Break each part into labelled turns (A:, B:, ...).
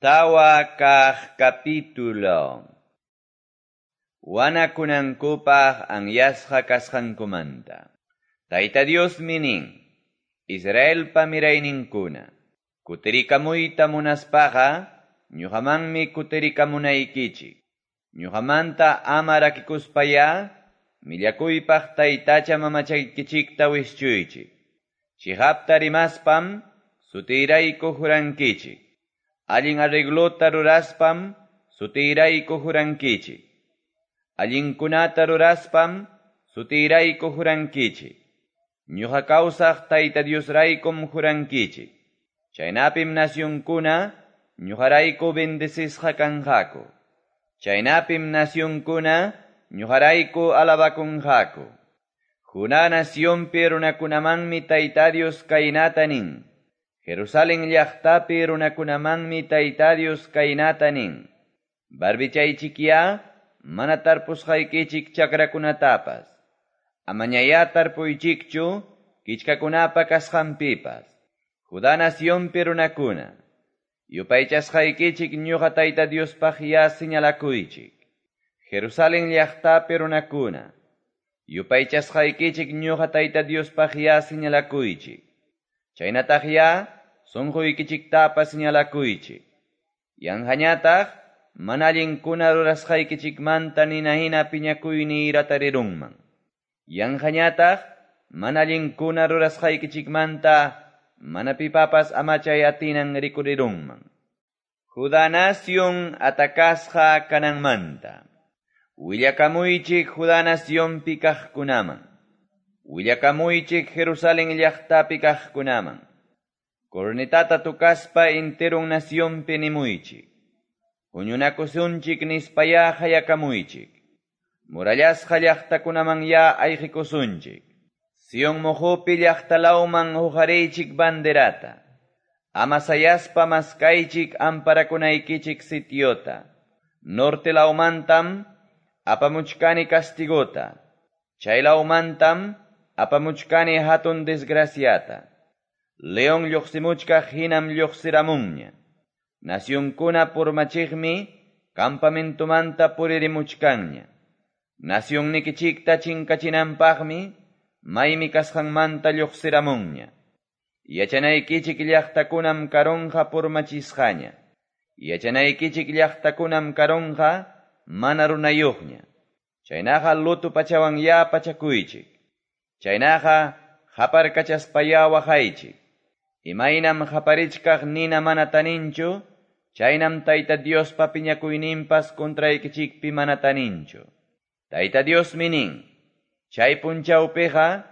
A: 4 kaq capítulo. Wanakunankupaq anyasqa kasqankumanta. Tayta Diosmi nin, Israelpa mirayninkuna, kutirikamuyta munaspaqa, ñuqamanmi kutirikamunaykichik. Ñuqamanta ama rakikuspayá, millakuypaq taytacha mamachaykichikta wischuychik. Chiqapta rimaspam, sutiyrayku jurankichik. Allin arreglota ruraspam, sutiyrayku jurankichik. Allinkunata ruraspam, sutiyrayku jurankichik. Ñuqa kawsaq Tayta Diosraykum jurankichik. Chaynapim nacionkuna, ñuqarayku bendecisqa kanqaku. Chaynapim nacionkuna, ñuqarayku alabakunqaku. Judá nacionpi runakunamanmi Tayta Dios kaynata nin. Jerusalén llaqtapi runakunamanmi Tayta Dios kaynata nin. Barbichaychikyá mana tarpusqaykichik chakrakunatapas. Amañayá tarpuychikchu kichkakunapa kasqanpipas. Judá nacionpi runakuna, yupaychasqaykichik ñuqa Tayta Diospaq ya señalakuychik. Jerusalén llaqtapi runakuna, yupaychasqaykichik ñuqa Tayta Diospaq ya señalakuychik. Chaynataq ya sunquykichiktapas señalakuychik. Yanqañataq mana allinkuna rurasqaykichikmanta nina hina piñakuyniy ratarirunman. Yanqañataq mana allinkuna rurasqaykichikmanta mana pipapas amachay atinan rikurirunman. Judá nación atakasqa kananmanta. Willakamuychik Judá nacionpi kaqkunaman. Willakamuychik Jerusalén llaqtapi kaqkunaman. Cornetata tukaspa enteron nacionpi nimuychik. Huñunakusunchik nispayá hayakamuychik. Murallasqa llaqtakunaman ya ayqikusunchik. Sion moqopi llaqtalawman huqariychik banderata. Ama sayaspa maskaychik amparakunaykichik sitiota. Norte lawmantam apamuchkani castigota. Chay lawmantam apamuchkani hatun desgraciata. León lluqsimuchkaq hinam lluqsiramunña. Nacionkuna purmachiqmi campamentomanta puririmuchkanña. Nacionnikichikta chinkachinanpaqmi maymi kasqanmanta lluqsiramunña. Yachanaykichik llaqtakunam karunqa purmachisqaña. Yachanaykichik llaqtakunam karunqa mana runayuqña. Chaynaqa luto pachawan ya pachakuychik. Chaynaqa qaparkachaspayá waqaychik. Imaynam qaparichkaq nina mana taninchu, chaynam Tayta Diospa piñakuyninpas contraykichikpi mana taninchu. Tayta Diosmi nin, chay punchawpiqa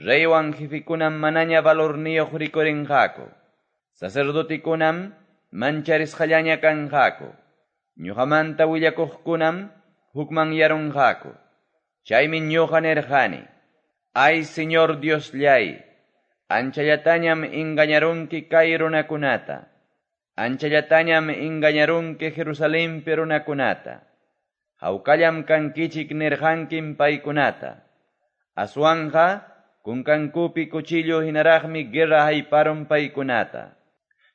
A: reywan jefikunam manaña valorniyuq rikurinqaku. Sacerdotikunam mancharisqallaña kanqaku. Ñuqamanta willakuqkunam hukmanyarunqaku. Chaymi ñuqa nirqani, ay Señor Diosllay, anchallatañam engañarunki kay runakunata. Anchallatañam engañarunki Jerusalenpi runakunata. Hawkallam kankichik nirqankim paykunata. Aswanqa kunkankupi cuchillo hinaraqmi guerra hayparun paykunata.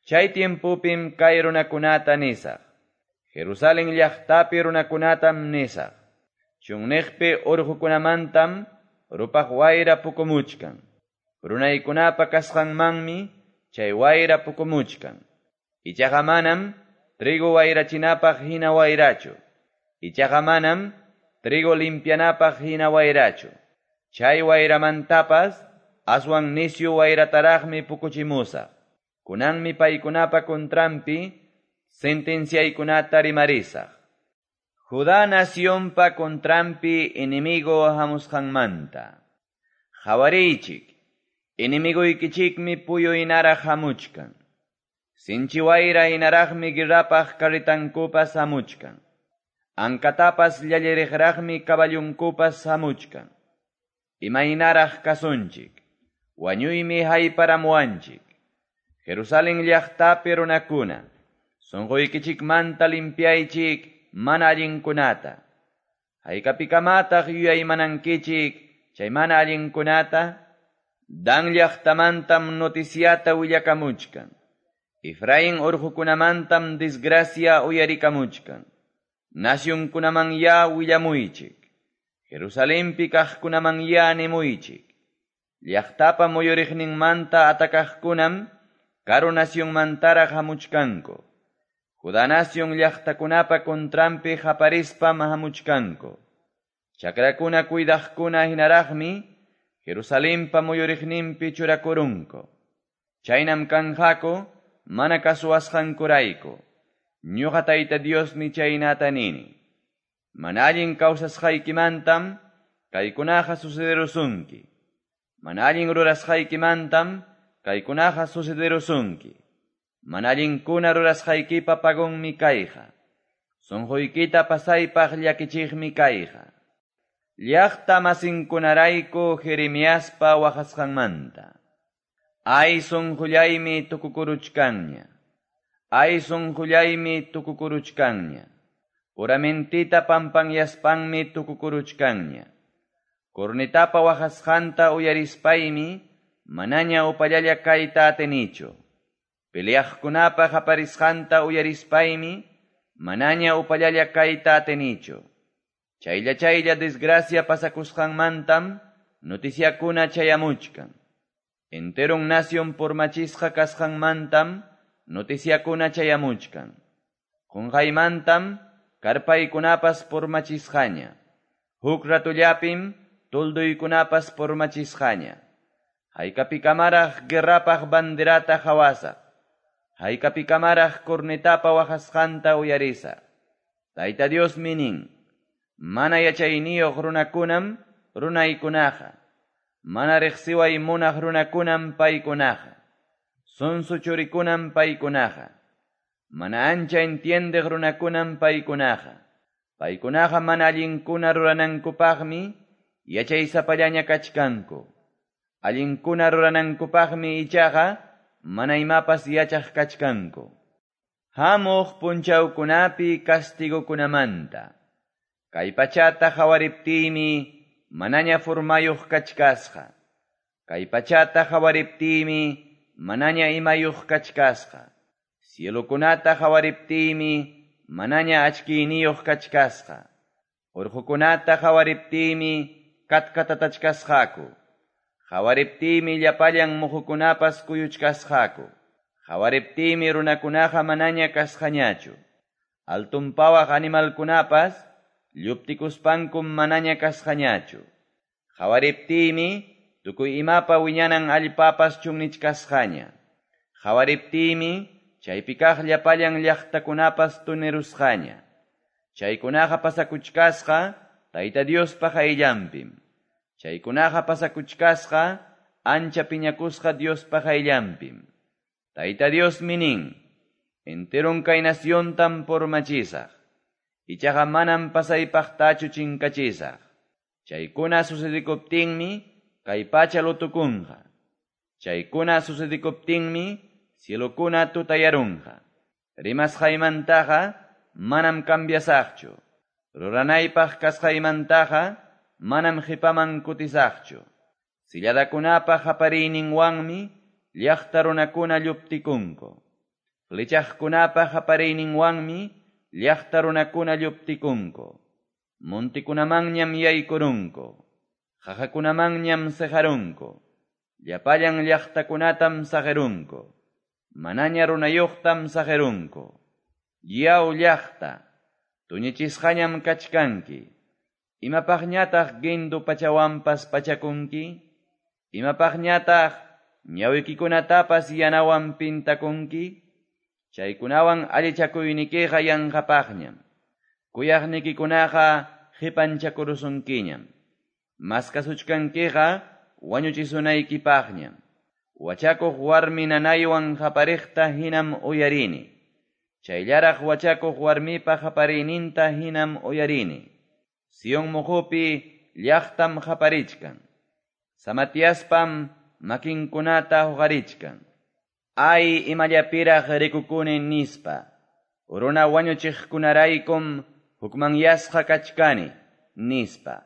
A: Chay tiempopim kay runakunata nisaq. Jerusalén llaqtapi runakunatam nisaq. Chunniqpi urqukunamantam rupaq wayra pukumuchkan. Runaykunapa kasqanmanmi chay wayra pukumuchkan. Ichaqa manam trigo wayrachinapaq hina wayrachu. Ichaqa manam trigo limpianapaq hina wayrachu. Chay wayramantapas aswan nisyu wayrataraqmi pukuchimusaq. Kunanmi paykunapa contranpi sentenciaykunata rimarisaq. Judá nacionpa contranpi enemigo hamusqanmanta. Qawariychik, enemiguykichikmi puyu hinaraq hamuchkan. Sinchi wayra hinaraqmi guerrapaq carretankupas hamuchkan. Ankatapas llalliriqraqmi caballunkupas hamuchkan. Imaynaraq kasunchik, wañuymi hayparamuwanchik. Jerusalén llaqtapi runakuna, sunquykichikmanta limpiaychik mana allinkunata. Haykapikamataq yuyaymanankichik chay mana allinkunata? Dan llaqtamantam noticiata willakamuchkan. Efrain orqokunamantam desgracia uyarikamuchkan. Nacionkunamanyá willamuychik. Jerusalenpi kaqkunamanyá nimuychik. Llaqtapa muyuriqninmanta atacaqkunam karu nacionmantaraq hamuchkanku. Judá nacion llaqtakunapa contranpi qaparispam hamuchkanku. Chakrakuna cuidaqkuna hinaraqmi Jerusalenpa muyuriqninpi churakurunku. Chaynam kanqaku mana kasuwasqankurayku. Ñuqa Tayta Diosmi chaynata nini. Mana allin kawsasqaykimantam kaykunaqa sucederusunki. Mana allin rurasqaykimantam kaykunaqa sucederusunki. Mana allinkuna rurasqaykipa pagonmi kayqa. Sunquykita pasaypaq llakichiqmi kayqa. Llaqta masinkunarayku Jeremiaspa waqasqanmanta. Ay sunqullaymi tukukuruchkanña. Ay sunqullaymi tukukuruchkanña. Puramentita pampanyaspanmi tukukuruchkanña. Cornetapa waqasqanta uyarispaymi manaña upallalla kayta atinichu. Peleaqkunapa qaparisqanta uyarispaymi manaña upallalla kayta atinichu. Chaylla chaylla desgracia pasakusqanmantam noticiakuna chayamuchkan. Enteron nación purmachisqa kasqanmantam noticiakuna chayamuchkan. Qunqaymantam karpaykunapas purmachisqaña. Huk ratullapim tulduykunapas purmachisqaña. Haykapikamaraq guerrapaq banderata hawasaq. Haykapikamaraq cornetapa waqasqanta uyarisaq. Tayta Diosmi nin, mana yachayniyuq runakunam runaykunaqa. Mana riqsiway munaq runakunam paykunaqa. Sonso churikunam paykunaqa. Mana ancha entiendeq runakunam paykunaqa. Paykunaqa mana allinkuna ruranankupaqmi yachaysapallaña kachkanku. Allinkuna ruranankupaqmi ichaqa mana imapas yachaq kachkanku. Hamuq punchawkunapi castigokunamanta. Kay pachata qawariptiymi manaña formayuq kachkasqa. Kay pachata qawariptiymi manaña imayuq kachkasqa. Cielokunata qawariptiymi manaña achkiyniyuq kachkasqa. Urqukunata qawariptiymi katkatatachkasqaku. Qawariptiymi llapallan muhukunapas kuyuchkasqaku. Qawariptiymi runakunaqa manaña kasqañachu. Altunpawaq animalkunapas lluptikuspankum manaña kasqañachu. Qawariptiymi tukuy imapa wiñanan allpapas chunnichkasqaña. Qawariptiymi chaypi kaq llapallan llaqtakunapas tunirusqaña. Chaykunaqa pasakuchkasqa Tayta Diospa qayllanpim. Chaykunaqa pasakuchkasqa ancha piñakusqa Diospa qayllanpim. Tayta Diosmi nin, enteron kay naciontam purmachisaq. Ichaqa manam pasaypaqtachu chinkachisaq. Chaykuna sucedikuptinmi kay pacha lutukunqa. Chaykuna sucedikuptinmi cielokuna tutayarunqa. Rimasqaymantaqa manam cambiasaqchu. Ruranaypaq kasqaymantaqa manam qipaman kutisaqchu. Silladakunapa qapariyninwanmi llaqta runakuna lluptikunku. Flechaqkunapa qapariyninwanmi llaqta runakuna lluptikunku. Montikunamanñam yaykurunku. Qaqakunamanñam siqarunku. Llapallan llaqtakunatam saqirunku. Manaña runayuqtam saqirunku. Yaw llaqta, tuñichisqañam kachkanki. Imapaqñataq guindu pachawanpas pachakunki? Imapaqñataq ñawikikunatapas yanawan pintakunki? Chaykunawan allichakuynikiqa yanqapaqñam. Kuyaqnikikunaqa qipanchakurusunkiñam. Maskasuchkankiqa wañuchisunaykipaqñam. Wachakuq warmi nanaywan qapariqta hinam uyarini. Chayllaraq wachakuq warmipa qapariyninta hinam uyarini. Sion muqupi llaqtam qaparichkan. Samatiaspam makinkunata huqarichkan. Ay imallapiraq rikukuni nispa. Runa wañuchiqkunaraykum hukmanyasqa kachkani nispa.